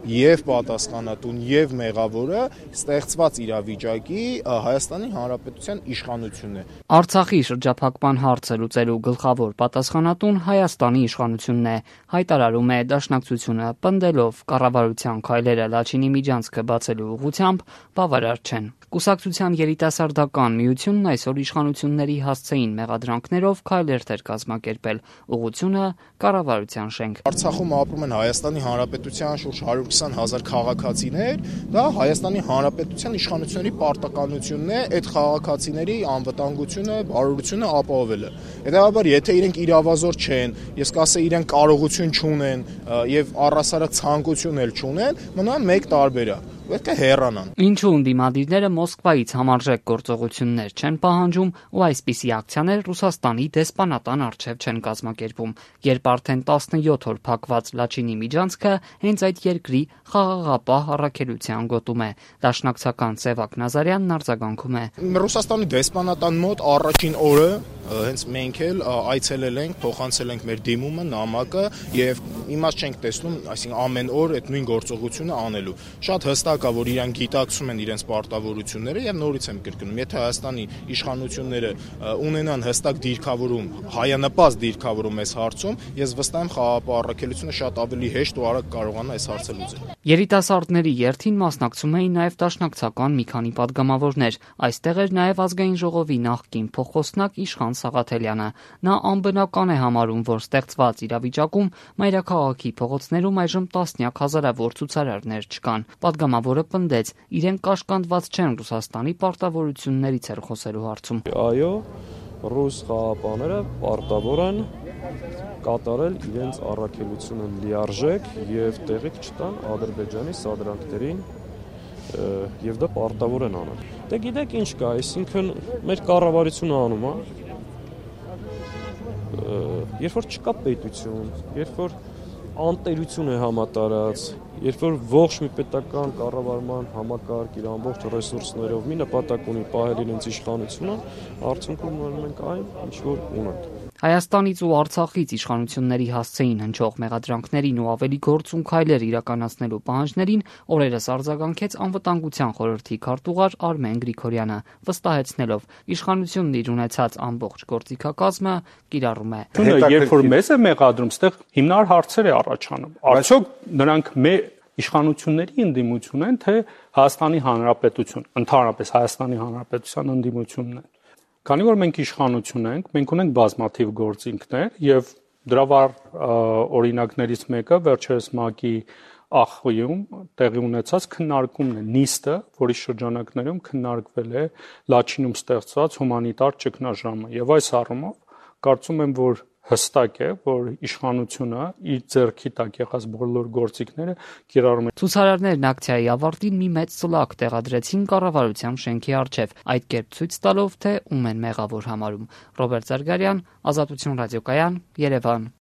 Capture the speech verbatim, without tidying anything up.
եւ պատասխանատուն եւ մեղավորը ստեղծված իրավիճակի Հայաստանի Հանրապետության իշխանությունն է։ Արցախի շրջափակման հարցը լուծելու գլխավոր պատասխանատուն Հայաստանի իշխանությունն է, հայտարարում է Դաշնակցությունը, պնդելով կառավարության քայլերը Լաչինի միջանցքը բացելու ուղղությամբ բավարար չեն։ Կուսակցության երիտասարդական միությունն այսօր իշխանությունների հասցեին մեղադրանքներով քայլեր էր կազմակերպել, ուղղությունը կառավարության շենք։ Արցախում ապրում են Հայաստանի Հանրապետության շուրջ հարյուր քսան հազար քաղաքացիներ, դա Հայաստանի Հանրապետության իշխանությունների պարտականությունն է այդ քաղաքացիների անվտանգությունը, բարօրությունը ապահովելը։ Հետևաբար, եթե իրենք իրավազոր չեն, ես կասեի իրենք կարողություն չունեն եւ առհասարակ ցանկություն էլ չունեն, մնան մեկ տարբերակ։ Պետք է հեռանան։ Ինչու ընդդիմադիրները Մոսկվայից համարժեք գործողություններ չեն պահանջում ու այսպիսի ակցիաներ Ռուսաստանի դեսպանատան առջև չեն կազմակերպում, երբ արդեն տասնյոթ օր փակված Լաչինի միջանցքը հենց այդ երկրի խաղաղապահ առաքելության գոտում է։ Դաշնակցական Սևակ Նազարյանն արձագանքում է։ Ռուսաստանի դեսպանատան մոտ առաջին օրը հենց մենք էլ այցելել ենք, փոխանցել ենք մեր դիմումը, նամակը եւ իմաստ չենք տեսնում, այսինքն ամեն օր այդ նույն գործողությունը անելու։ Շատ հստակ է, որ իրանք գիտակցում են իրենց պարտավորությունները եւ նորից եմ կրկնում, եթե Հայաստանի իշխանությունները ունենան հստակ դիրքավորում, հայանպաստ դիրքավորում այս հարցում, ես վստահ եմ խաղաղապահ առաքելությունը շատ ավելի հեշտ ու արագ կարողանա այս հարցը լուծել։ Երիտասարդների երթին մասնակցում էին նաև դաշնակցական մի քանի պատգամավորներ։ Այստեղ էր նաև Ազգային ժողովի նախկին փոխխոսնակ Իշխան Սաղաթելյանը։ Նա անբնական է համարում, որ ստեղծված իրավիճակում մայրաքաղաքի փողոցներում այժմ տասնյակ հազարավոր ցուցարարներ չկան։ Պատգամավորը պնդեց, իրենք կաշկանդված չեն Ռուսաստանի պարտավորություններից էր խոսելու հարցում։ Այո, ռուս խաղապաները պարտավոր են կատարել իրենց առաքելությունը լիարժեք եւ տեղիք չտան Ադրբեջանի սադրանքներին եւ դա պարտավոր են անել։ Դե գիտեք ինչ կա, այսինքն մեր կառավարությունը անում է, երբ որ չկա պետություն, երբ որ անտերություն է համատարած, երբ որ ողջ մի պետական կառավարման համակարգ իր ամբողջ ռեսուրսներով մի նպատակ ունի պահել իրենց իշխանությունը, արդյունքում ունենում ենք այն, ինչ որ ունենք։ Հայաստանից ու Արցախից իշխանությունների հասցեին հնչող մեղադրանքներին ու ավելի գործուն քայլեր իրականացնելու պահանջներին օրերս արձագանքեց Անվտանգության խորհրդի քարտուղար Արմեն Գրիգորյանը, վստահեցնելով իշխանությունն իր ունեցած ամբողջ գործիքակազմը կիրառում է։ Երբ որ մեզ է մեղադրում, ստեղ հիմնարար հարցեր է առաջանում։ Արդյոք նրանք մեր իշխանությունների ընդդիմություն են, թե Հայաստանի Հանրապետություն, ընդհանրապես Հայաստանի Հանրապետության ընդդիմությունն են։ Քանի որ մենք իշխանություն ենք, մենք ունենք բազմաթիվ գործիքներ եւ դրա վառ օրինակներից մեկը վերջերս ՄԱԿ-ի ԱԽ-ում տեղի ունեցած քննարկումն է, նիստը, որի շրջանակներում քննարկվել է Լաչինում ստեղծված հումանիտար ճգնաժամը եւ այս առումով կարծում եմ, որ հստակ է, որ իշխանությունը իր ձեռքի տակ եղած բոլոր գործիքները կիրառում է։ Ցուցարարներն ակցիայի ավարտին մի մեծ ծլակ տեղադրեցին կառավարության շենքի առջև, այդ կերպ ցույց տալով, թե ում են մեղավոր համարում։ Ռոբերտ Զարգարյան, Ազատություն ռադիոկայան, Երևան։